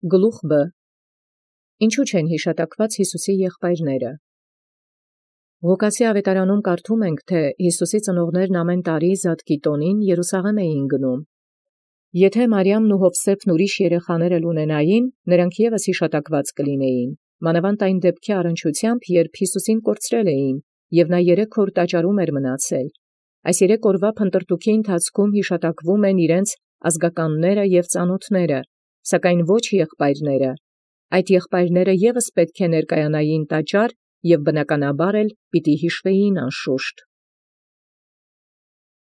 Գլուխ Բ. Ինչու չեն յիշատակված Յիսուսի եղբայրները։ Ղուկասի ավետարանում կարդում ենք, թէ Յիսուսի ծնողներն ամեն տարի Զատկի տոնին Երուսաղեմ էին գնում։ Եթե Մարիամն ու Յովսէփն ուրիշ երեխաներ ունենային, նրանք ևս յիշատակված կլինեին, մանավանդ այն դեպքի առնչությամբ, երբ Յիսուսին կորցրել էին, և նա 3 օր տաճարում էր մնացել։ Այս 3 օրվա փնտրտուքի ընթացքում յիշատակվում են իրենց ազգականները և ծանոթները, սակայն ոչ եղբայրները։ Այդ եղբայրները ևս պետք է ներկայանային տաճար և բնականաբար էլ պիտի հիշվեին անշուշտ։